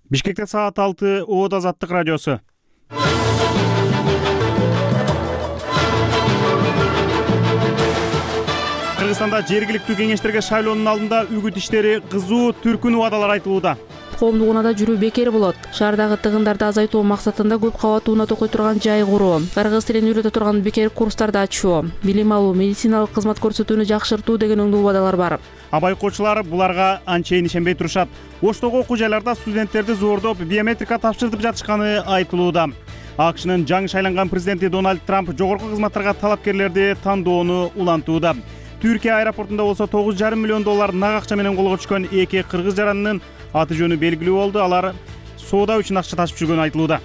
Бишкекте саат 6 ООД Азаттык радиосу. Кыргызстанда жергиликтүү кеңештерге шайлоонун алдында үгүт иштери кызуу, түркүн убадалар айтылууда. Коомдук унаада жүрүү бекер болот. Шаардагы тыгындарды азайтуу максатында көп кабаттуу уна токой турган жай куруу, кыргыз тилин үйрөтө турган бекер курстарды ачуу, билим алуу, медициналык кызмат көрсөтүүнү жакшыртуу деген оңдуу убадалар бар. Байкоочулар буларга анчейин ишенбей турушат. Оштогу окуу жайларда студенттерди зордоп, биометрика тапшыртып жатышканы айтылууда. АКШнын жаңы шайланган президенти Дональд Трамп жогорку кызматтарга талапкерлерди тандоону улантууда. Түркия аэропортунда болсо $9,5 миллион нак акча менен колго түшкөн эки кыргыз жаранынын аты жөнү белгилүү болду. Алар соода үчүн акча ташып жүргөнү айтылууда.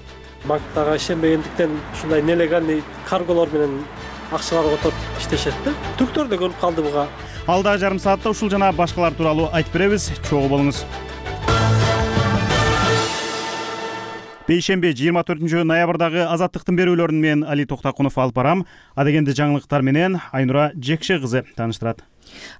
Банктага ишенбегендиктен ушундай нелегальный карголор менен акчалар которуп иштешет да. Түрктөр да көрүп калды буга. Алдагы жарым саатта ушул жана башкалар тууралуу айтып беребиз. Чогуу болуңуз. Бейшемби 24 ноябрдагы Азаттыктын берүүлөрүн мен Али Токтакунов алып барам. Адегенде жаңылыктар менен Айнура Жекше кызы тааныштырат.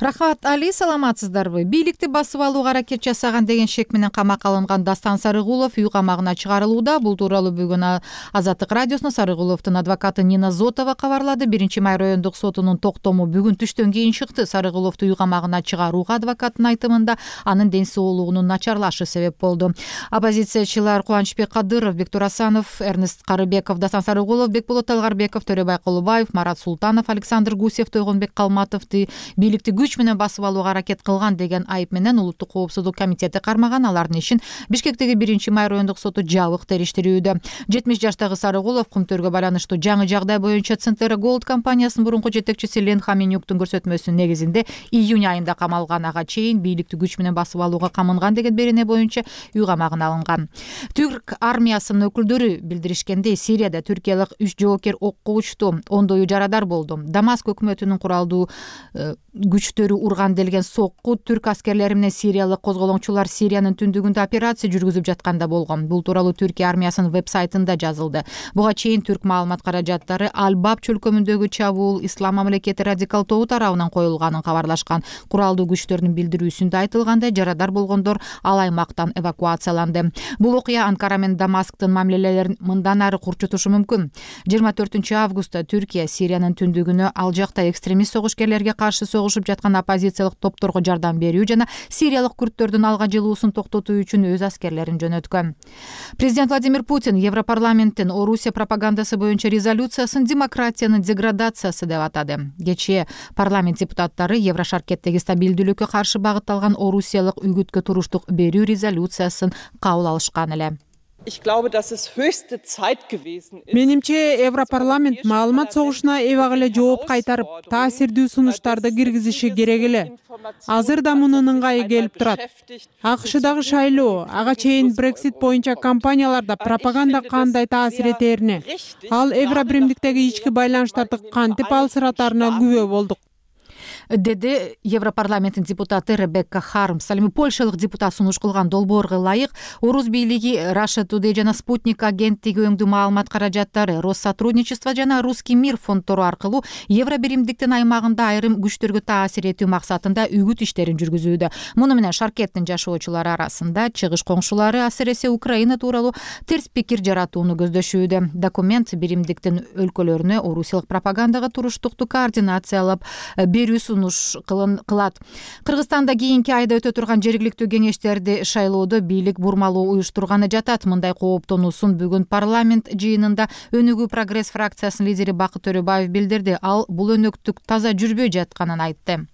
Рахмат, Али, саламатсыздарбы? Бийликти басып алууга аракет жасаган деген шек менен камакка алынган Дастан Сарыгулов үй камагына чыгарылууда. Бул тууралуу бүгүн Азаттык радиосуна Сарыгуловдун адвокаты Нина Зотова кабарлады. 1-май райондук сотунун токтому бүгүн түштөн кийин чыкты. Сарыгуловду үй камагына чыгарууга адвокаттын айтымында анын ден соолугунун начарлашы себеп болду. Оппозициячылар Кубанычбек Кадыров, Бектур Асанов, Эрнест Карыбеков, Дастан Сарыгулов, Бекболот Талгарбеков, Төрөбай Колубаев, Марат Султанов, Александр Гусев, Тойгонбек Калматовду бийликти күч менен басып алууга аракет кылган деген айып менен Улуттук коопсуздук комитети кармаган. Алардын ишин Бишкектеги 1-май райондук соту жабык териштирүүдө. 70 жаштагы Сарыгулов кумтөргө байланыштуу жаңы жагдай боюнча Центера Голд компаниясынын мурунку жетекчиси Лен Хаменюктун көрсөтмөсүнүн негизинде июнь айында камалган. Ага чейин бийликти күч менен басып алууга камынган деген берене боюнча үй камагына алынган. Түрк армиясынын өкүлдөрү билдиришкендей, Сирияда түркиялык 3 жоокер окко учту, ондою жарадар болду. Дамаск өкмөтүнүн куралдуу күчтөрү урган делген сокку түрк аскерлери менен сириялык козголоңчулар Сириянын түндүгүндө операция жүргүзүп жатканда болгон. Бул тууралуу Түркия армиясынын веб-сайтында жазылды. Буга чейин түрк маалымат каражаттары Аль-Баб чөлкөмүндөгү чабуул Ислам мамлекети радикал тобу тарабынан коюлганын кабарлашкан. Куралдуу күчтөрдүн билдирүүсүндө айтылгандай, жарадар болгондор ал аймактан эвакуацияланды. Бул окуя Анкара менен Дамасктын мамилелерин мындан ары курчутушу мүмкүн. 24 августта Түркия Сириянын түндүгүнө ал жакта экстремист согушкерлерге каршы согушуп жаткан оппозициялык топторго жардам берүү жана сириялык күрттөрдүн алга жылуусун токтотуу үчүн өз аскерлерин жөнөткөн. Президент Владимир Путин Европарламенттин Орусия пропагандасы боюнча резолюциясын демократиянын деградациясы деп атады. Кечээ парламент депутаттары Еврошаркеттеги стабилдүүлүккө каршы багытталган Орусиялык үгүткө туруштук берүү резолюциясын кабыл алышкан эле. Менимче Европарламент маалымат согушуна эбак эле жооп кайтарып, таасирдүү сунуштарды киргизиши керек эле. Азыр да мунун ыңгайы келип турат. АКШдагы шайлоо, ага чейин Брексит боюнча кампанияларда пропаганда кандай таасир этерине, ал Евробиримдиктеги ички байланыштарды кантип алсыратарына күбө болдук, деди Европарламенттин депутаты Ребекка Хармс. Ал эми польшалык депутат сунуш кылган долбоорго ылайык Орус бийлиги Russia Today жана Спутник агенттиги өңдүү маалымат каражаттары, Россотрудничество жана Русский мир фонддору аркылуу Евробиримдиктин аймагында айрым күчтөргө таасир этүү максатында үгүт иштерин жүргүзүүдө. Муну менен Шаркеттин жашоочулары арасында чыгыш коңшулары, асыресе Украина тууралуу терс пикир жаратууну көздөшүүдө. Документ биримдиктин өлкөлөрүнө орусиялык пропагандага туруштукту координациялап берүү кылат. Кыргызстанда кийинки айда өтө турган жергиликтүү кеңештерди шайлоодо бийлик бурмалуу уюштурганы жатат. Мындай кооптонуусун бүгүн парламент жыйынында Өнүгүү прогресс фракциясынын лидери Бакыт Төрөбаев билдирди. Ал бул өнөктүк таза жүрбөй жатканын айтты.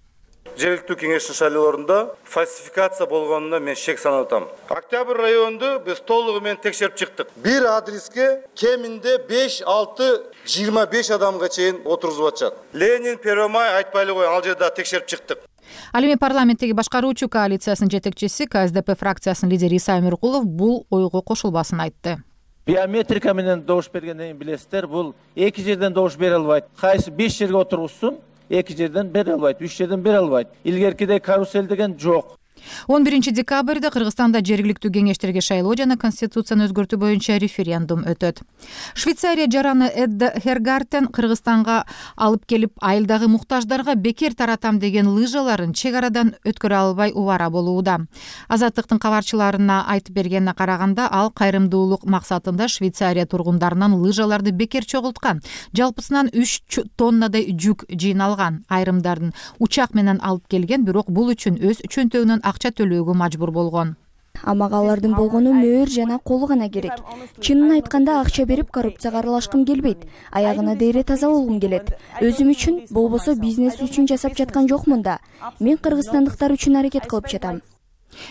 Жергиликтүү кеңештин шайлоолорунда фальсификация болгонуна мен шек санап атам. Октябрь районунду биз толугу менен текшерип чыктык. Бир адреске кеминде 5-6-25 адамга чейин отургузуп атышат. Ленин, Первомай айтпай эле кой, ал жерде текшерип чыктык. Ал эми парламенттеги башкаруучу коалициясынын жетекчиси КСДП фракциясынын лидери Иса Эмиркулов бул ойго кошулбасын айтты. Биометрика менен добуш бергенден билесиздер, бул эки жерден добуш бере албайт. Кайсы 5 жерге отургузсун, эки жерден бере албайт, 3 жерден бере албайт. Илгеркидей карусель деген жок. 11 декабрда Кыргызстанда жергиликтүү кеңештерге шайлоо жана конституцияны өзгөртүү боюнча референдум өтөт. Швейцария жараны Эдда Хергартен Кыргызстанга алып келип, айылдагы муктаждарга бекер таратам деген лыжаларын чек арадан өткөрө албай убара болууда. Азаттыктын кабарчыларына айтып бергенине караганда, ал кайрымдуулук максатында Швейцария тургундарынан лыжаларды бекер чогулткан. Жалпысынан 3 тоннадай жүк жыйналган. Айрымдарын учак менен алып келген, бирок бул үчүн өз чөнтөгүнөн акча төлөөгө мажбур болгон. Мага алардын болгону мөөр жана колу гана керек. Чынын айтканда акча берип коррупцияга аралашкым келбейт. Аягына дейре таза болгум келет. Өзүм үчүн, болбосо бизнес үчүн жасап жаткан жокмун да. Мен кыргызстандыктар үчүн аракет кылып жатам,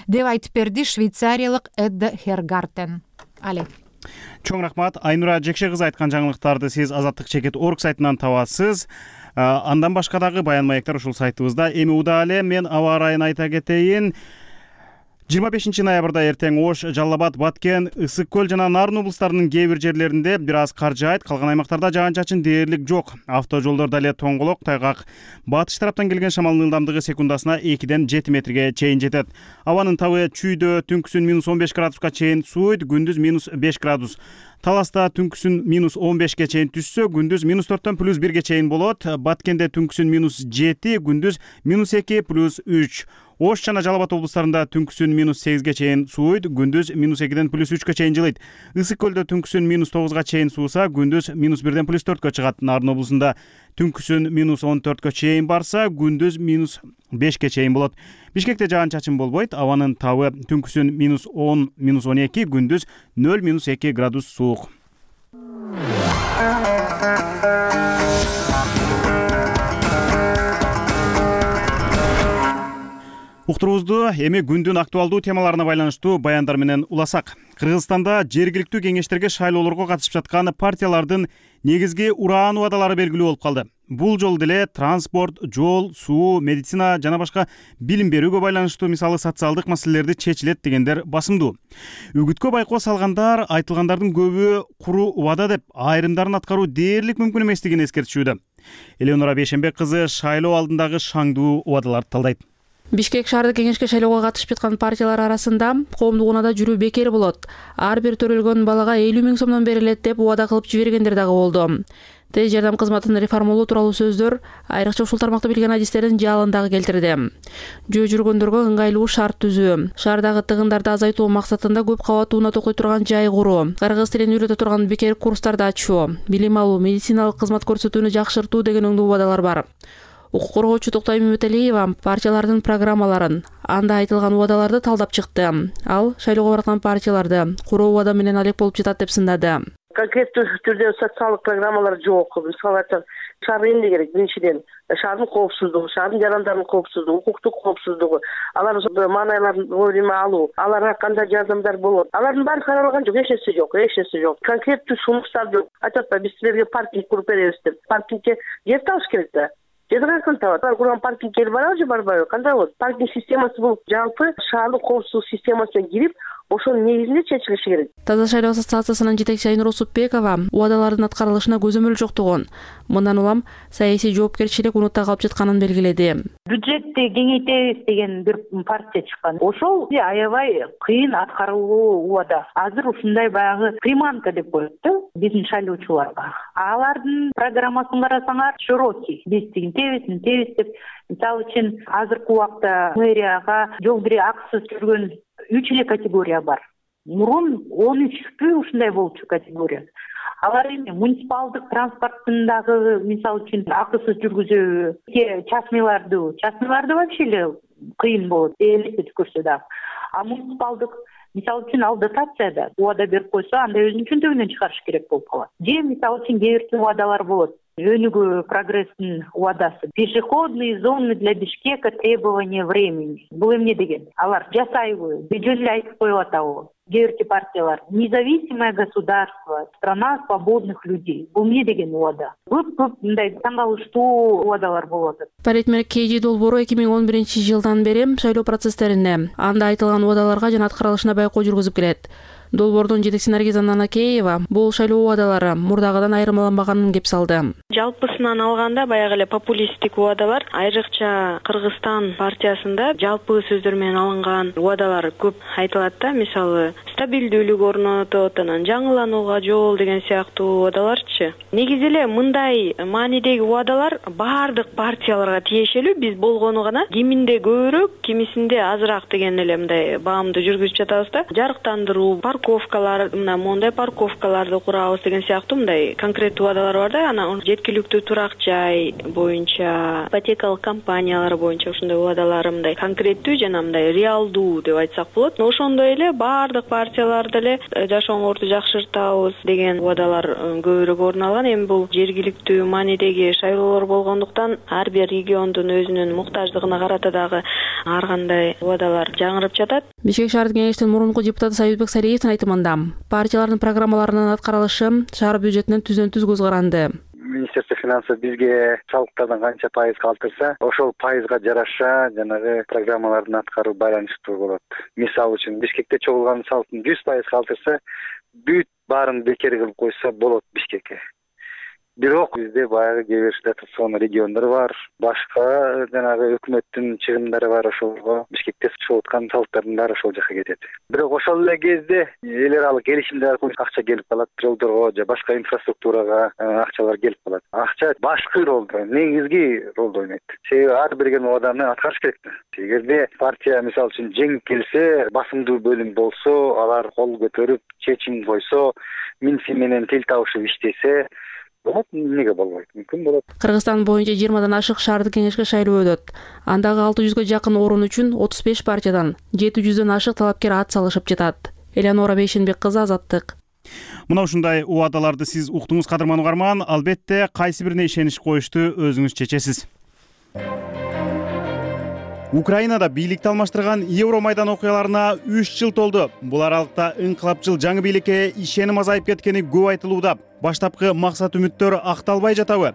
деп айтып берди швейцариялык Эдда Хергартен. Чоң рахмат. Айнура Жекше кызы айткан жаңылыктарды сиз Азаттык.org сайтынан табасыз. Андан башка дагы баян маектер ушул сайтыбызда. Эми удаа мен аба ырайын айта кетейин. 25 ноябрда эртең Ош, Жалал Абад, Баткен, Ысык көл жана Нарын облустарынын кээ бир жерлеринде бир аз кар жаайт, калган аймактарда жаан-чачын дээрлик жок. Автожолдордо эле тоңголок, тайгак. Батыш тараптан келген шамалдын ылдамдыгы секундасына 2-ден 7 метрге чейин жетет. Абанын табы чүйдө түнкүсүн -15 градуска чейин сууйт, күндүз -5 градус. Таласта түнкүсүн -15ге чейин түшсө, күндүз -4төн +1ге чейин болот. Баткенде түнкүсүн -7, күндүз -2 +3. Ош жана Жалал Абад облустарында түнкүсүн -8ге чейин сууйт, күндүз -2ден +3кө чейин жылыйт. Ысык көлдө түнкүсүн -9га чейин сууса, күндүз -1ден +4кө чыгат. Нарын облусунда түнкүсүн -14кө чейин барса, күндүз -5ке чейин болот. Бишкекте жаан-чачын болбойт. Абанын табы түнкүсүн -10, -12, күндүз 0-2 градус суук. Уктурубузду эми күндүн актуалдуу темаларына байланыштуу баяндар менен уласак. Кыргызстанда жергиликтүү кеңештерге шайлоолорго катышып жаткан партиялардын негизги ураан убадалары белгилүү болуп калды. Бул жолу деле транспорт, жол, суу, медицина жана башка билим берүүгө байланыштуу, мисалы социалдык маселелерди чечилет дегендер басымдуу. Үгүткө байкоо салгандар айтылгандардын көбү куру убада деп, айрымдарын аткаруу дээрлик мүмкүн эместигин эскертишүүдө. Элеонора Бейшенбек кызы шайлоо алдындагы шаңдуу убадаларды талдайт. Бишкек шаардык кеңешке шайлоого катышып жаткан партиялар арасында коомдук унаада жүрүү бекер болот. Ар бир төрөлгөн балага 50 000 сомдон берилет деп убада кылып жибергендер дагы болду. Тез жардам кызматын реформалоо тууралуу сөздөр айрыкча ушул тармакты билген адистердин жаалын дагы келтирди. Жөө жүргөндөргө ыңгайлуу шарт түзүү, шаардагы тыгындарды азайтуу максатында көп кабаттуу унат окуй турган жай куруу, кыргыз тилин үйрөтө турган бекер курстарды ачуу, билим алуу, медициналык кызмат көрсөтүүнү жакшыртуу деген оңдуу убадалар бар. Укук коргоочу Токтой Мөмөталиева партиялардын программаларын, анда айтылган убадаларды талдап чыкты. Ал шайлоого бараткан партияларды куруу убада менен алек болуп жатат деп сындады. Конкреттүү түрдө социалдык программалар жок. Мисалы айтсак, шаар эмне керек? Биринчиден, шаардын коопсуздугу, шаардын жарандардын коопсуздугу, укуктук коопсуздугу, алардын маанайларын вовремя алуу, аларга кандай жардамдар болот. Алардын баары каралган жок, эч нерсе жок. Конкреттүү сунуштар жок. Айтат да, биз силерге паркинг куруп беребиз деп. Паркингге жер табыш керек да. Жерди кантип табат? Алар курган паркингге барабы же барбайбы? Кандай болот? Паркинг системасы бул жалпы шаардык коопсуздук системасына кирип, ошонун негизинде чечилиши керек. Таза шайлоо ассоциациясынын жетекчиси Айнур Усупбекова убадалардын аткарылышына көзөмөл жоктугун, мындан улам саясий жоопкерчилик унутта калып жатканын белгиледи. Бюджетти кеңейтебиз деген бир партия чыккан. Ошол аябай кыйын аткарылуу убада. Азыр ушундай баягы приманка деп коет да биздин шайлоочуларга. Алардын программасын карасаңар широкий. Биз тегин тебиз деп, мисалы үчүн азыркы убакта мэрияга жол бири акысыз жүргөн 3 эле категория бар. Мурун 13 ушундай болчу категория. Алар эми муниципалдык транспорттун дагы мисалы үчүн акысыз жүргүзүү, частныйларды вообще эле кыйын болот, элестетип көрсө дагы. А муниципалдык мисалы үчүн ал дотацияда убада берип койсо, анда өзүнүн чөнтөгүнөн чыгарыш керек болуп калат. Же мисалы үчүн кээ бир убадалар болот. Өнүгүү прогресстин убадасы. Пешеходные зоны для Бишкека, требования времени. Бул эмне деген? Алар жасайбы? Жөн эле айтып коюп атабы? Кээ бир партиялар независимое государство, страна свободных людей. Бул эмне деген убада? Көп мындай таң калыштуу убадалар болуп атат. Паритмер КЖ долбоору 2011-жылдан бери шайлоо процесстерине, анда айтылган убадаларга жана аткарылышына байкоо жүргүзүп келет. Долбоордун жетекчиси Наргиза Нанакеева бул шайлоо убадалары мурдагыдан айырмаланбаганын кеп салды. Жалпысынан алганда баягы эле популисттик убадалар, айрыкча Кыргызстан партиясында жалпы сөздөр менен алынган убадалар көп айтылат да. Мисалы, стабилдүүлүк орнотот, анан жаңыланууга жол деген сыяктуу убадаларчы. Негизи эле мындай маанидеги убадалар баардык партияларга тиешелүү. Биз болгону гана киминде көбүрөөк, кимисинде азыраак деген эле мындай баамды жүргүзүп жатабыз да. Жарыктандыруу, парковкалар, мына мондай парковкаларды курабыз деген сыяктуу мындай конкреттүү убадалар бар да. Анан жеткиликтүү турак жай боюнча, ипотекалык компаниялар боюнча ушундай убадалар мындай конкреттүү жана мындай реалдуу деп айтсак болот. Ошондой эле баардык партиялар деле жашооңорду жакшыртабыз деген убадалар көбүрөөк орун алган. Эми бул жергиликтүү маанидеги шайлоолор болгондуктан ар бир региондун өзүнүн муктаждыгына карата дагы ар кандай убадалар жаңырып жатат. Бишкек шаардык кеңештин мурунку депутаты Союзбек Салиевдин айтымында партиялардын программаларынын аткарылышы шаар бюджетинен түздөн-түз көз каранды. Министерство финансов бизге салыктардан канча пайыз калтырса, ошол пайызга жараша жанагы программалардын аткаруу байланыштуу болот. Мисалы үчүн Бишкекте чогулган салыктын 100% калтырса, бүт баарын бекер кылып койсо болот Бишкекке. Бирок бизде баягы кээ бир дотацион региондор бар, башка жанагы өкмөттүн чыгымдары бар, ошолго Бишкекте чыгып аткан салыктардын баары ошол жака кетет. Бирок ошол эле кезде эл аралык келишимдер аркылуу акча келип калат, жолдорго же башка инфраструктурага акчалар келип калат. Акча башкы ролду, негизги ролду ойнойт. Себеби ар берген убаданы аткарыш керек да. Эгерде партия мисалы үчүн жеңип келсе, басымдуу бөлүм болсо, алар кол көтөрүп чечим койсо, минси менен тил табышып иштесе, болот, эмнеге болбойт? Мүмкүн болот. Кыргызстан боюнча 20дан ашык шаардык кеңешке шайлоо өтөт. Андагы 600гө жакын орун үчүн 35 партиядан 700дөн ашык талапкер ат салышып жатат. Элеонора Бейшенбек кызы, Азаттык. Мына ушундай убадаларды сиз уктуңуз, кадырман угарман. Албетте кайсы бирине ишенич коюшту өзүңүз чечесиз. Украинада бийликти алмаштырган Евромайдан окуяларына 3 жыл толду. Бул аралыкта инкылапчыл жаңы бийликке ишеним азайып кеткени көп айтылууда. Баштапкы максат-үмүттөр акталбай жатабы?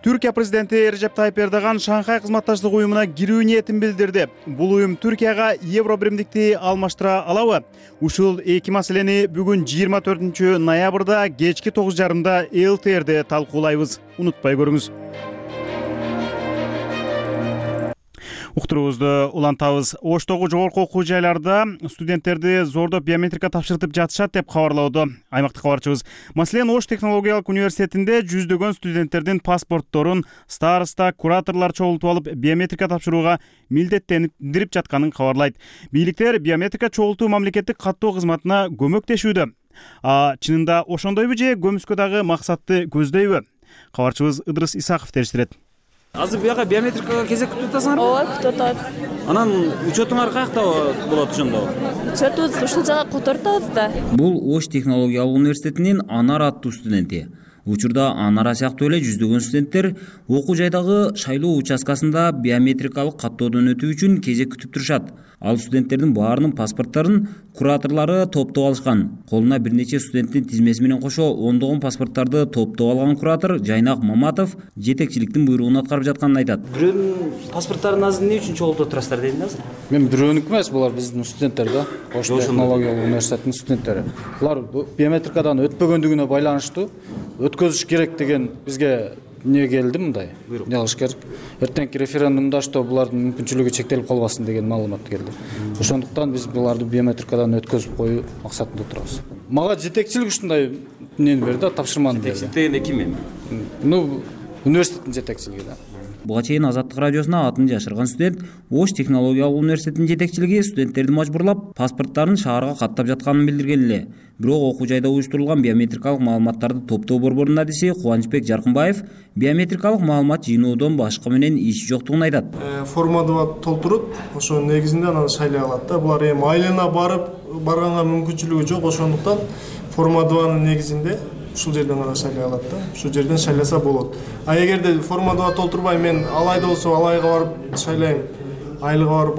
Түркия президенти Режеп Тайып Эрдоган Шанхай кызматташтык уюмуна кирүү ниетин билдирди. Бул уюм Түркияга евро биримдикти алмаштыра алабы? Ушул эки маселени бүгүн 24 ноябрда кечки 9:30 ЛТРде талкуулайбыз. Унутпай көрүңүз. Уктуруубузду улантабыз. Оштогу жогорку окуу жайларда студенттерди зордоп биометрика тапшыртып жатышат деп кабарлоодо аймактык кабарчыбыз. Маселен, Ош технологиялык университетинде жүздөгөн студенттердин паспортторун староста, кураторлор чогултуп алып биометрика тапшырууга милдеттендирип жатканын кабарлайт. Бийликтер биометрика чогултуу мамлекеттик каттоо кызматына көмөктөшүүдө. Чынында ошондойбу же көмүскө дагы максатты көздөйбү? Кабарчыбыз Ыдырыс Исаков териштирет. Азыр буяка биометрикага кезек күтүп атасыңарбы? Ооба, күтүп атабыз. Анан учетуңар каякта болот ошондо? Учетубуз ушул жака котортабыз да. Бул Ош технологиялык университетинин Анар аттуу студенти. Учурда Анара сыяктуу эле жүздөгөн студенттер окуу жайдагы шайлоо участкасында биометрикалык каттоодон өтүү үчүн кезек күтүп турушат. Ал студенттердин баарынын паспорттарын кураторлору топтоп алышкан. Колуна бир нече студенттин тизмеси менен кошо ондогон паспорттарды топтоп алган куратор Жайнак Маматов жетекчиликтин буйругун аткарып жатканын айтат. Бирөөнүн паспорттарын азыр эмне үчүн чогултуп турасыздар дейм азыр? Мен бирөөнүк эмес, булар биздин студенттер да. Ош технологиялык университетинин студенттери. Булар биометрикадан өтпөгөндүгүнө байланыштуу өткөзүш керек деген бизге эмне келди мындай? Не кылыш керек? Эртеңки референдумда что булардын мүмкүнчүлүгү чектелип калбасын деген маалымат келди. Ошондуктан биз буларды биометрикадан өткөзүп коюу максатында турабыз. Мага жетекчилик ушундай эмнени берди, тапшырманы берди. Жетекчилик дегенде ким эми? Университеттин жетекчилиги да. Буга чейин Азаттык радиосуна атын жашырган студент Ош технологиялык университетинин жетекчилиги студенттерди мажбурлап паспорттарын шаарга каттап жатканын билдирген эле. Бирок окуу жайда уюштурулган биометрикалык маалыматтарды топтоо борборунун адиси Кубанычбек Жаркынбаев биометрикалык маалымат жыйноодон башка менен иши жоктугун айтат. Форманы толтуруп, ошо негизинде анан шайлай алат да. Булар эми айылына барганга мүмкүнчүлүгү жок, ошондуктан форма 2-нын негизинде ушул жерден гана шайлай алат да. Ушул жерден шайласа болот. А эгерде форма 2 толтурбай мен алайда болсо алайга барып шайлайм, айылга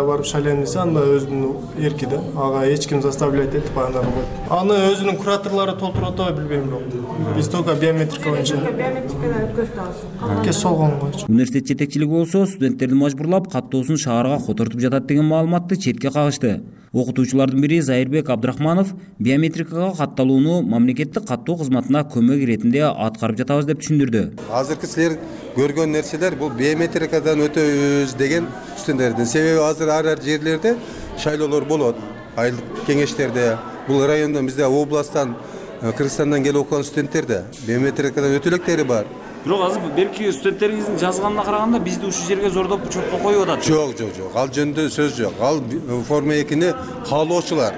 барып шайлайм десе, анда өзүнүн эрки да. Ага эч ким заставлять этип анда кылбайт. Аны өзүнүн кураторлору толтуруп атабы билбейм бирок. Биз только биометрика боюнча. Биометрикадан өткөзүп атабыз. Кес болгон койчу. Университет жетекчилиги болсо студенттерди мажбурлап каттоосун шаарга котортуп жатат деген маалыматты четке кагышты. Окутуучулардын бири Зайырбек Абдрахманов биометрикага катталууну мамлекеттик каттоо кызматына көмөк иретинде аткарып жатабыз деп түшүндүрдү. Азыркы силер көргөн нерселер бул биометрикадан өтөбүз деген студенттердин. Себеби азыр ар жерлерде шайлоолор болот. Айылдык кеңештерде, бул райондон бизде областтан, Кыргызстандан келип окуган студенттерде биометрикадан өтө электери бар. Бирок азыр белки студенттериңиздин жазганына караганда бизди ушул жерге зордоп чокко коюп атат. Жок. Ал жөнүндө сөз жок. Ал форма 2-ни каалоочулар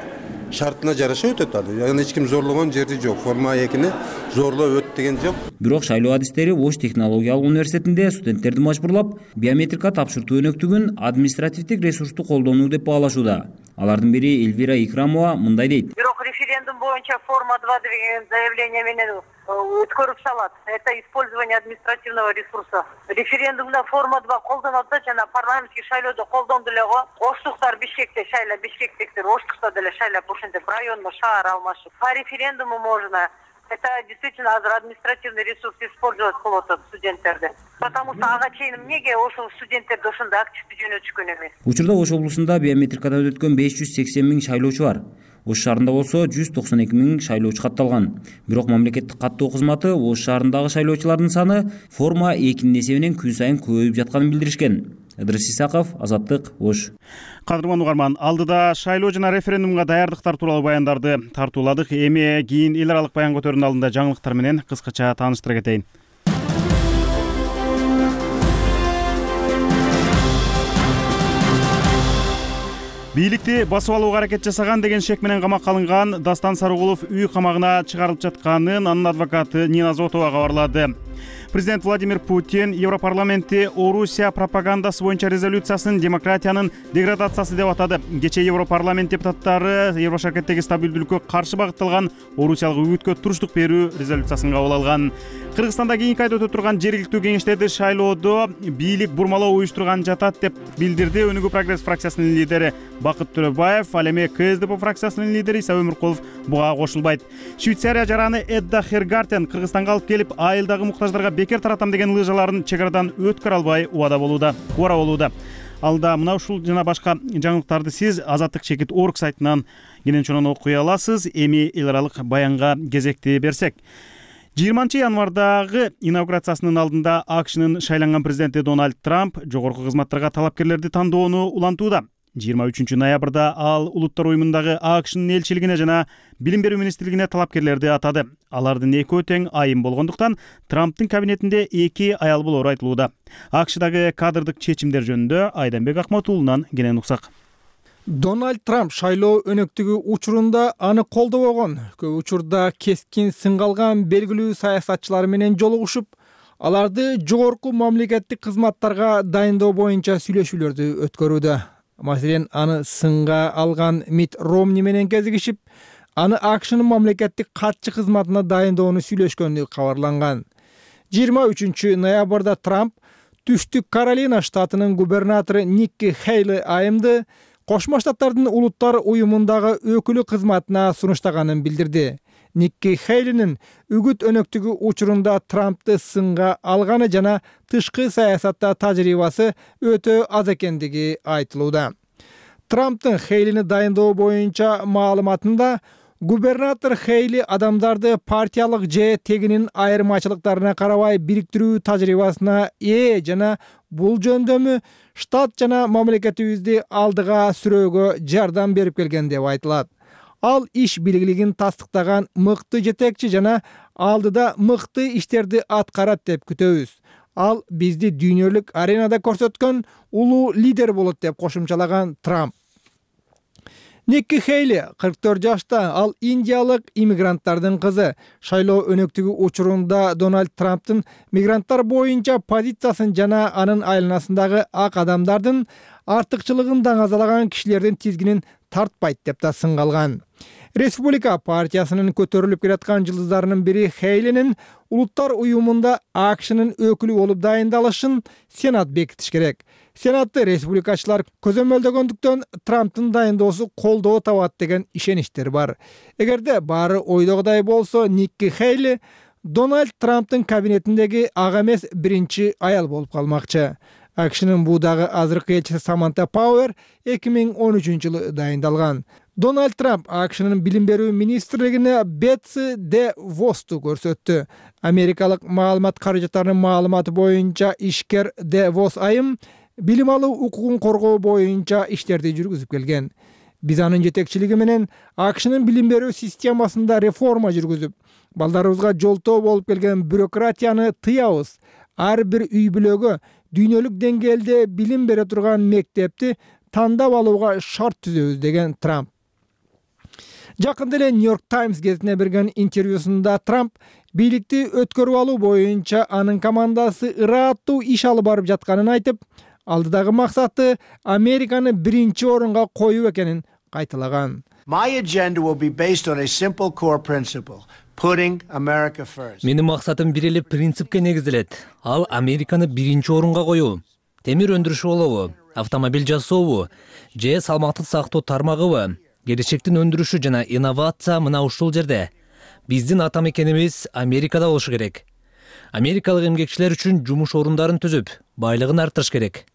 шартына жараша өтөт. Аны эч ким зорлогон жерди жок. Форма 2-ни зорлоп өт деген жок. Бирок шайлоо адистери Ош технологиялык университетинде студенттерди мажбурлап биометрика тапшыртуу өнөктүгүн административдик ресурсту колдонуу деп баалашууда. Алардын бири Эльвира Икрамова мындай дейт. Бирок референдум боюнча форма 2 деген заявление менен өткөрүп салат. Это использование административного ресурса. Референдумда форма 2 колдонулат да, жана парламенттик шайлоодо колдонду эле го. Оштуктар Бишкекте шайлап, бишкектиктер Оштукта деле шайлап, ошентип районмо шаар алмашып. По референдуму можно. Это действительно административный ресурс использовать болот студенттерди. Потому что ага чейин эмнеге ошол студенттерди ошондой активдүү жөнөтүшкөн эмес. Учурда Ош облусунда биометрикадан өткөн 580 миң шайлоочу бар. Ош шаарында болсо 192 миң шайлоочу катталган. Бирок мамлекеттик каттоо кызматы Ош шаарындагы шайлоочулардын саны форма 2-нин эсебинен күн сайын көбөйүп жатканын билдиришкен. Ыдырыс Исаков, Азаттык, Ош. Кадырман угарман, алдыда шайлоо жана референдумга даярдыктар тууралуу баяндарды тартууладык. Эми кийин эл аралык баян көтөрүүнүн алдында жаңылыктар менен кыскача тааныштыра кетейин. Бийликти басып алууга аракет жасаган деген шек менен камакка алынган Дастан Сарыгулов үй камагына чыгарылып жатканын анын адвокаты Нина Зотова кабарлады. Президент Владимир Путин Европарламентти Орусия пропагандасы боюнча резолюциясын демократиянын деградациясы деп атады. Кечээ Европарламент депутаттары Еврошаркеттеги стабилдүүлүккө каршы багытталган Орусиялык үгүткө туруштук берүү резолюциясын кабыл алган. Кыргызстанда кийинки айда өтө турган жергиликтүү кеңештерди шайлоодо бийлик бурмалоо уюштурган жатат деп билдирди Өнүгүү прогресс фракциясынын лидери Бакыт Төрөбаев. Ал эми КСДП фракциясынын лидери Иса Өмүркулов буга кошулбайт. Швейцария жараны Эдда Хергартен Кыргызстанга алып келип, айылдагы муктаждарга бекер таратам деген лыжаларын чек арадан өткөрө албай убара болууда. Алда мына ушул жана башка жаңылыктарды сиз Азаттык чекит орг сайтынан кенен чонон окуй аласыз. Эми эл аралык баянга кезекти берсек. 20-январдагы инаугурациясынын алдында АКШнын шайланган президенти Дональд Трамп жогорку кызматтарга талапкерлерди тандоону улантууда. 23-ноябрда ал улуттар уюмундагы АКШнын элчилигине жана билим берүү министрлигине талапкерлерди атады. Алардын экөө тең айым болгондуктан Трамптын кабинетинде 2 аял болору айтылууда. АКШдагы кадрдык чечимдер жөнүндө Айданбек Акматуулунан кенен уксак. Дональд Трамп шайлоо өнөктүгү учурунда аны колдобогон. Көп учурда кескин сынгалган белгилүү саясатчылар менен жолугушуп, аларды жогорку мамлекеттик кызматтарга дайындоо боюнча сүйлөшүүлөрдү өткөрүүдө. Маселен, аны сынга алган Мит Ромни менен кезигишип, аны АКШнын мамлекеттик катчы кызматына дайындоону сүйлөшкөнү кабарланган. 23-ноябрда Трамп Түштүк Каролина штатынын губернатору Никки Хейли айымды Кошмо Штаттардын улуттар уюмундагы өкүлү кызматына сунуштаганын билдирди. Никки Хейлинин үгүт өнөктүгү учурунда Трампты сынга алганы жана тышкы саясатта тажрыйбасы өтө аз экендиги айтылууда. Трамптын Хейлини дайындоо боюнча маалыматында губернатор Хейли адамдарды партиялык же тегинин айырмачылыктарына карабай бириктирүү тажрыйбасына ээ жана бул жөндөмү штат жана мамлекетибизди алдыга сүрөөгө жардам берип келген деп айтылат. Ал иш билгилигин тастыктаган мыкты жетекчи жана алдыда мыкты иштерди аткарат деп күтөбүз. Ал бизди дүйнөлүк аренада көрсөткөн улуу лидер болот деп кошумчалаган Трамп. Никки Хейли 44 жашта, ал индиялык иммигранттардын кызы. Шайлоо өнөктүгү учурунда Дональд Трамптын мигранттар боюнча позициясын жана анын айланасындагы ак адамдардын артыкчылыгын даңазалаган кишилердин тизгинин тартпайт деп да сынгалган. Республика партиясынын көтөрүлүп келаткан жылдыздарынын бири Хейлинин улуттар уюмунда АКШнын өкүлү болуп дайындалышын Сенат бекитиш керек. Сенатты республикачылар көзөмөлдөгөндүктөн Трамптын дайындоосу колдоо табат деген ишеничтер бар. Эгерде баары ойдогудай болсо, Никки Хейли Дональд Трамптын кабинетиндеги ак эмес биринчи аял болуп калмакчы. AQShnын буудагы азыркы элчиси Саманта Пауэр 2013-жылы дайындалган. Дональд Трамп AQShnын билим берүү министрлигине Бетси де Восту көрсөттү. Америкалык маалымат каражаттарынын маалыматы боюнча ишкер де Вос айым билим алуу укугун коргоо боюнча иштерди жүргүзүп келген. Биз анын жетекчилиги менен AQShnын билим берүү системасында реформа жүргүзүп, балдарыбызга жолтоо болуп келген бюрократияны тыябыз. Ар бир үй бүлөгө дүйнөлүк деңгээлде билим бере турган мектепти тандап алууга шарт түзөбүз деген Трамп. Жакында эле New York Times гезитине берген интервьюсунда Трамп бийликти өткөрүп алуу боюнча анын командасы ырааттуу иш алып барып жатканын айтып, алдыдагы максаты Американы биринчи орунга коюу экенин кайталаган. My agenda will be based on a simple core principle. Менин максатым бир эле принципке негизделет. Ал Американы биринчи орунга коюу. Темир өндүрүшү болобу, автомобиль жасообу, же салмактык сактоо тармагыбы, келечектин өндүрүшү жана инновация мына ушул жерде. Биздин ата мекенибиз Америкада болушу керек. Америкалык эмгекчилер үчүн жумуш орундарын түзүп, байлыгын арттырыш керек.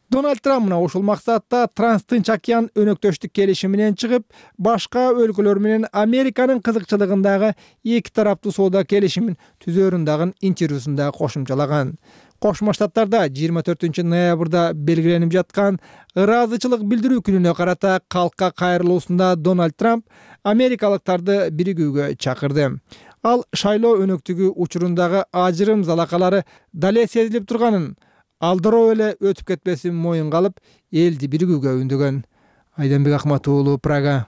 Дональд Трамп мына ушул максатта Транстынч океан өнөктөштүк келишими менен чыгып, башка өлкөлөр менен Американын кызыкчылыгындагы эки тараптуу соода келишимин түзөрүн дагы интервьюсунда кошумчалаган. Кошмо Штаттарда 24 ноябрда белгиленип жаткан ыраазычылык билдирүү күнүнө карата калкка кайрылуусунда Дональд Трамп америкалыктарды биригүүгө чакырды. Ал шайлоо өнөктүгү учурундагы ажырым залакалары дале сезилип турганын, алдыроо эле өтүп кетпесин моюнга алып, элди биригүүгө үндөгөн. Айданбек Ахмат уулу, Прага.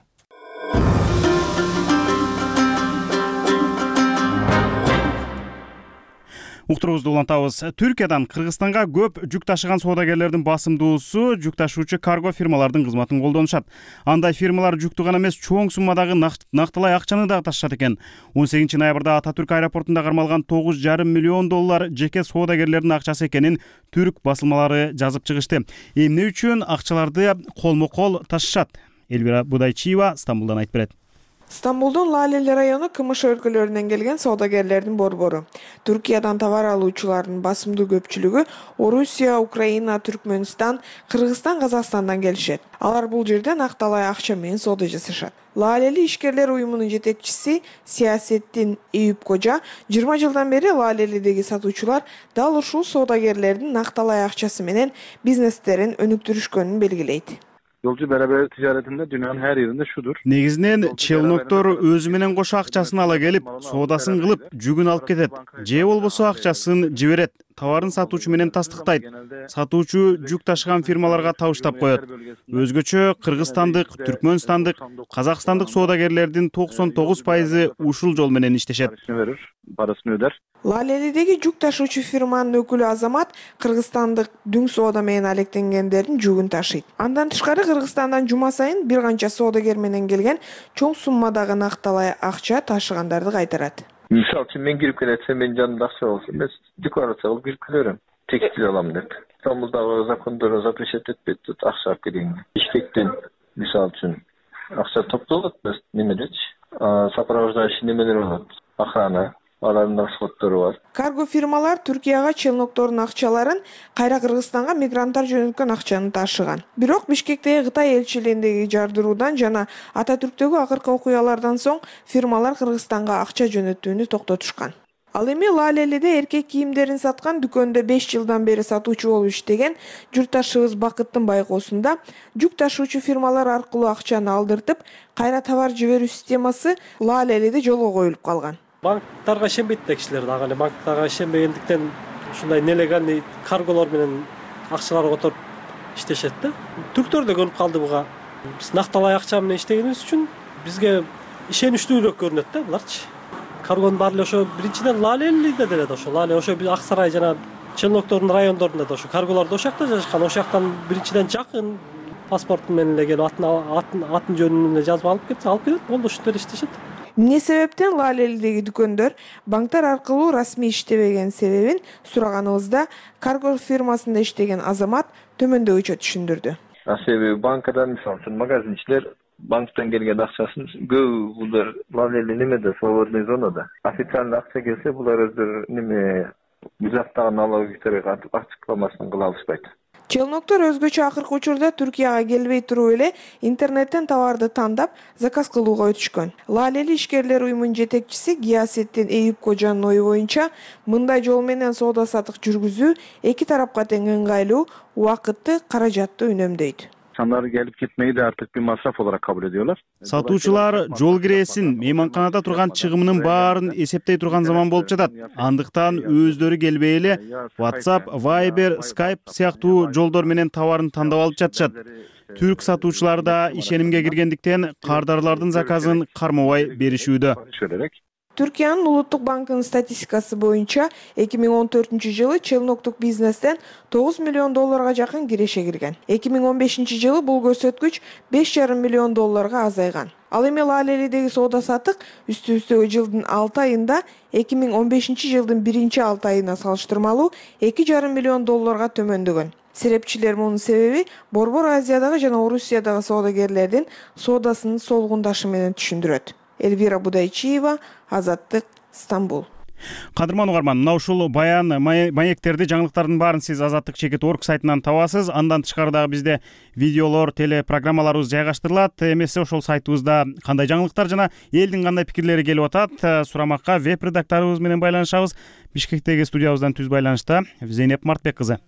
Уктурубузду улантабыз. Түркиядан Кыргызстанга көп жүк ташыган соодагерлердин басымдуусу жүк ташуучу карго фирмалардын кызматын колдонушат. Андай фирмалар жүктү гана эмес, чоң суммадагы нактылай акчаны дагы ташышат экен. 18 ноябрда Ататүрк аэропортунда кармалган $9,5 миллион жеке соодагерлердин акчасы экенин түрк басылмалары жазып чыгышты. Эмне үчүн акчаларды колмо-кол ташышат? Элвира Будайчиева Стамбулдан айтып берет. Стамбулдун Лалели району КМШ өлкөлөрүнөн келген соодагерлердин борбору. Түркиядан товар алуучулардын басымдуу көпчүлүгү Орусия, Украина, Түркмөнстан, Кыргызстан, Казакстандан келишет. Алар бул жерде накталай акча менен соода жасашат. Лалели ишкерлер уюмунун жетекчиси Сиясеттин Эюп Кожа 20 жылдан бери Лалелидеги сатуучулар дал ушул соодагерлердин накталай акчасы менен бизнестерин өнүктүрүшкөнүн белгилейт. Yolcu beraber ticaretinde dünyanın her yerinde şudur. Негизинен челноктор өзү менен кошо акчасын ала келип, соодасын кылып, жүгүн алып кетет. Же болбосо акчасын жиберет. Товарын сатуучу менен тастыктайт. Сатуучу жүк ташыган фирмаларга табыштап коет. Өзгөчө Кыргызстандык, Түркмөнстандык, Казакстандык соодагерлердин 99% ушул жол менен иштешет. Parasını öder. Лалелидеги жүк ташуучу фирманын өкүлү Азамат кыргызстандык дүң соода менен алектенгендердин жүгүн ташыйт. Андан тышкары Кыргызстандан жума сайын бир канча соодагер менен келген чоң суммадагы накталай акча ташыгандарды кайтарат. Misal için ben girip geletsem ben canım akça olsun. Ben deklarasyon alıp girip geliyorum. Tekstil alalım deyip. İstanbul'da zakonları zapreşet etmedi. Akça alıp geleyim. İştekten misal için akça toplu olur. Nemedeç. Сопровождающий nemeler olur. Охрана. Алардын расходтору бар. Карго фирмалар Түркияга челноктордун акчаларын кайра Кыргызстанга мигранттар жөнөткөн акчаны ташыган. Бирок Бишкектеги Кытай элчилигиндеги жардыруудан жана Ататүрктөгү акыркы окуялардан соң фирмалар Кыргызстанга акча жөнөтүүнү токтотушкан. Ал эми Лалелиде эркек кийимдерин саткан дүкөндө 5 жылдан бери сатуучу болуп иштеген журтташыбыз Бакыттын байкоосунда жүк ташуучу фирмалар аркылуу акчаны алдыртып, кайра товар жиберүү системасы Лалелиде жолго коюлуп калган. Банктарга ишенбейт да кишилер дагы эле. Банктарга ишенбегендиктен ушундай нелегальный карголор менен акчалар которуп иштешет да. Түрктөр да көрүп калды буга. Биз накталай акча менен иштегенибиз үчүн бизге ишеничтүүлүк көрүнөт да буларчы. Каргонун баары эле ошо биринчиден Лалелиде деле да ошо. Лале ошо Ак Сарай жана челноктордун райондорунда да ошо карголор да ошол жакта жашашкан. Ошол жактан биринчиден жакын паспорту менен эле келип атын жөнүн эле жазып алып кетет. Болду ушинтип иштешет. Эмне себептен Лалелидеги дүкөндөр банктар аркылуу расмий иштебеген себебин сураганыбызда карго фирмасында иштеген Азамат төмөндөгүчө түшүндүрдү. Себеби банкадан мисалы үчүн магазинчилер банктан келген акчасын көбү булар Лалели немеде свободный зонада. Официальный акча келсе булар өздөрү неме Биз жактагы налоговиктер ачыкламасын кыла алышпайт. Челноктор өзгөчө акыркы учурда Түркияга келбей туруп эле интернеттен товарды тандап заказ кылууга өтүшкөн. Лалели ишкерлер уюмунун жетекчиси Гиясеттин Эйюп Кожанын ою боюнча, мындай жол менен соода саттык жүргүзүү эки тарапка тең ыңгайлуу, убакытты, каражатты үнөмдөйт. İnsanlar gelip gitmeyi de artık bir masraf olarak kabul ediyorlar. Сатуучулар жол киресин, мейманканада турган чыгымынын баарын эсептей турган заман болуп жатат. Андыктан өздөрү келбей эле WhatsApp, Viber, Skype сыяктуу жолдор менен товарын тандап алып жатышат. Түрк сатуучулар да ишенимге киргендиктен кардарлардын заказын кармабай беришүүдө. Түркиянын улуттук банкынын статистикасы боюнча 2014-жылы челноктук бизнестен $9 миллион жакын киреше кирген. 2015-жылы бул көрсөткүч $5,5 миллион азайган. Ал эми Лалелидеги соода саттык үстү-үстөгө жылдын 6 айында 2015-жылдын 1-6 айына салыштырмалуу $2,5 миллион төмөндөгөн. Серепчилер мунун себеби Борбор Азиядагы жана Орусиядагы соодагерлердин соодасынын солгундашы менен түшүндүрөт. Эльвира Будайчиева, Азаттык, Стамбул. Кадырман угарман, мына ушул баян маектерди, жаңылыктардын баарын сиз Azatlyk.org сайтынан табасыз. Андан тышкары дагы бизде видеолор, телепрограммаларыбыз жайгаштырылат. Эмесе ошол сайтыбызда кандай жаңылыктар жана элдин кандай пикирлери келип атат, сурамакка веб-редакторубуз менен байланышабыз. Бишкектеги студиябыздан түз байланышта Зейнеп Мартбек кызы.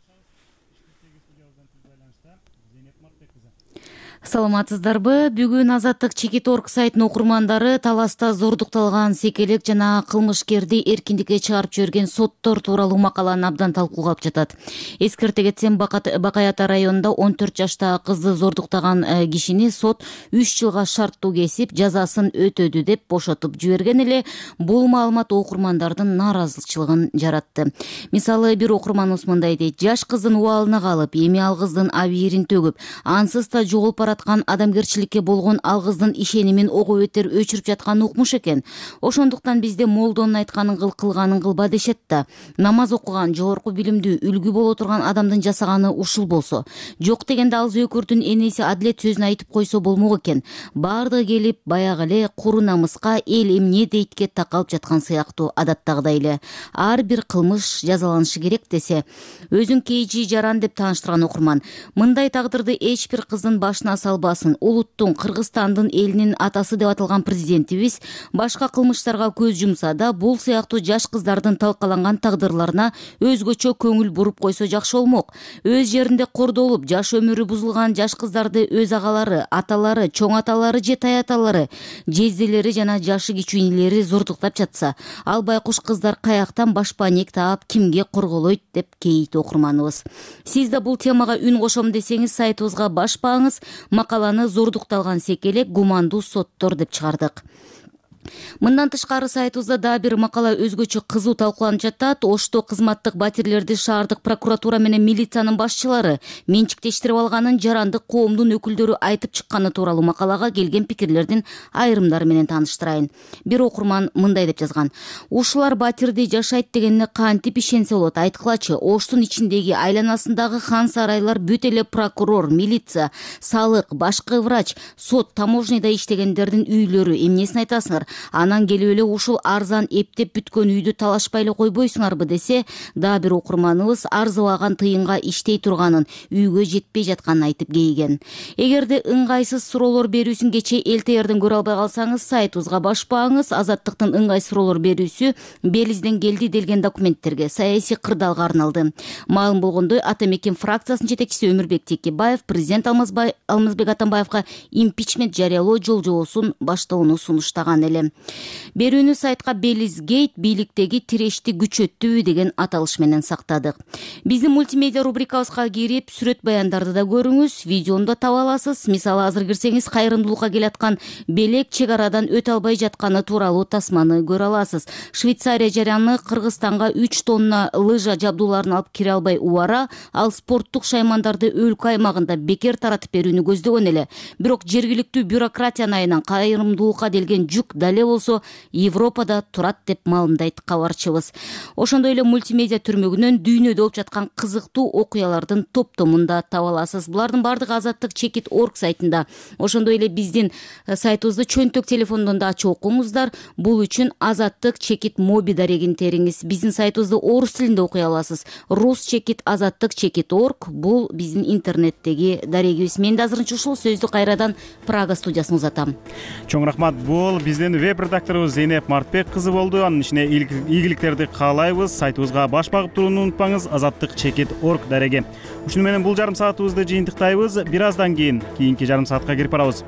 Саламатсыздарбы? Бүгүн Azatlyk.org сайтынын окурмандары таласта зордукталган секелек жана кылмышкерди эркиндикке чыгарып жиберген соттор тууралуу макаланы абдан талкуулап жатат. Эскерте кетсем, Бакаята районунда 14 жаштагы кызды зордуктаган кишини сот 3 жылга шарттуу кесип, жазасын өтөдү деп бошотуп жиберген эле. Бул маалымат окурмандардын нааразычылыгын жаратты. Мисалы, бир окурманыбыз мындай дейт: жаш кыздын убалына калып, эми ал кыздын абийирин төгүп, ансыз да жоголуп бараткан адамгерчиликке болгон ал кыздын ишенимин ого бетер өчүрүп жаткан укмуш экен. Ошондуктан бизде молдонун айтканын кыл, кылганын кылба дешет да. Намаз окуган, жогорку билимдүү, үлгү боло турган адамдын жасаганы ушул болсо, жок дегенде ал зөөкөрдүн энеси Адилет сөзүн айтып койсо болмок экен. Баардыгы келип баягы эле куру намыска, эл эмне дейтке такалып жаткан сыяктуу, адаттагыдай эле. Ар бир кылмыш жазаланышы керек десе, өзүн KG Жаран деп тааныштырган окурман, мындай тагдырды эч бир кыздын башына салбасын. Улуттун, Кыргызстандын элинин атасы деп аталган президентибиз башка кылмыштарга көз жумса да, бул сыяктуу жаш кыздардын талкаланган тагдырларына өзгөчө көңүл буруп койсо жакшы болмок. Өз жеринде кордолуп, жаш өмүрү бузулган жаш кыздарды өз агалары, аталары, чоң аталары же таяталары, жезделери жана жашы кичүүнелери зордуктап жатса, ал байкуш кыздар каяктан башпанек таап, кимге корголойт деп кейит окурманыбыз. Сиз да бул темага үн кошом десеңиз, сайтыбызга баш бааңыз. Макаланы зордукталган секелек гумандуу соттор деп чыгардык. Мындан тышкары сайтыбызда да бир макала өзгөчө кызуу талкууланып жатат. Ошто кызматтык батирлерди шаардык прокуратура менен милициянын башчылары менчиктештирип алганын жарандык коомдун өкүлдөрү айтып чыкканы тууралуу макалага келген пикирлердин айрымдары менен тааныштырайын. Бир окурман мындай деп жазган: ушулар батирди жашайт дегенине кантип ишенсе болот? Айткылачы, Оштун ичиндеги айланасындагы хан сарайлар бүт эле прокурор, милиция, салык, башкы врач, сот, таможняда иштегендердин үйлөрү. Эмнесин айтасыңар? Анан келип эле ушул арзан эптеп бүткөн үйдү талашпай эле койбойсуңарбы десе, да бир окурманыбыз арзыбаган тыйынга иштей турганын, үйгө жетпей жатканын айтып кейген. Эгерде ыңгайсыз суроолор берүүсүн кече ЛТРден көрө албай калсаңыз, сайтыбызга баш бааңыз. Азаттыктын ыңгай суроолор берүүсү Белизден келди делген документтерге, саясий кырдаалга арналды. Маалым болгондой, Ата Мекен фракциясынын жетекчиси Өмүрбек Текебаев президент Алмазбек Атамбаевга импичмент жарыялоо жол-жобосун баштоону сунуштаган эле. Берүүнү сайтка Белизгейт бийликтеги тирешти күчөттүбү деген аталыш менен сактадык. Биздин мультимедиа рубрикабызга кирип, сүрөт баяндарды да көрүңүз, видеону да таба аласыз. Мисалы, азыр кирсеңиз, кайрымдуулукка келаткан белек чек арадан өтө албай жатканы тууралуу тасманы көрө аласыз. Швейцария жараны Кыргызстанга 3 тонна лыжа жабдууларын алып кире албай убара, ал спорттук шаймандарды өлкө аймагында бекер таратып берүүнү көздөгөн эле. Бирок жергиликтүү бюрократиянын айынан кайрымдуулукка делген жүк эле болсо Европада турат деп маалымдайт кабарчыбыз. Ошондой эле мультимедиа түрмөгүнөн дүйнөдө болуп жаткан кызыктуу окуялардын топтомун да таба аласыз. Булардын баардыгы Азаттык Чекит.org сайтында. Ошондой эле биздин сайтыбызды чөнтөк телефондон да ачып окуңуздар. Бул үчүн Азаттык Чекит моби дарегин териңиз. Биздин сайтыбызды орус тилинде окуй аласыз. Рус Чекит Азаттык Чекит.org бул биздин интернеттеги дарегибиз. Мен да азырынча ушул сөздү кайрадан Прага студиясына узатам. Чоң рахмат. Бул биздин веб редакторубуз Зейнеп Мартбек кызы болду. Анын ичине ийгиликтерди каалайбыз. Сайтыбызга баш багып турууну унутпаңыз. Азаттык Чекит.org дареги. Ушуну менен бул жарым саатыбызды жыйынтыктайбыз. Бир аздан кийинки жарым саатка кирип барабыз.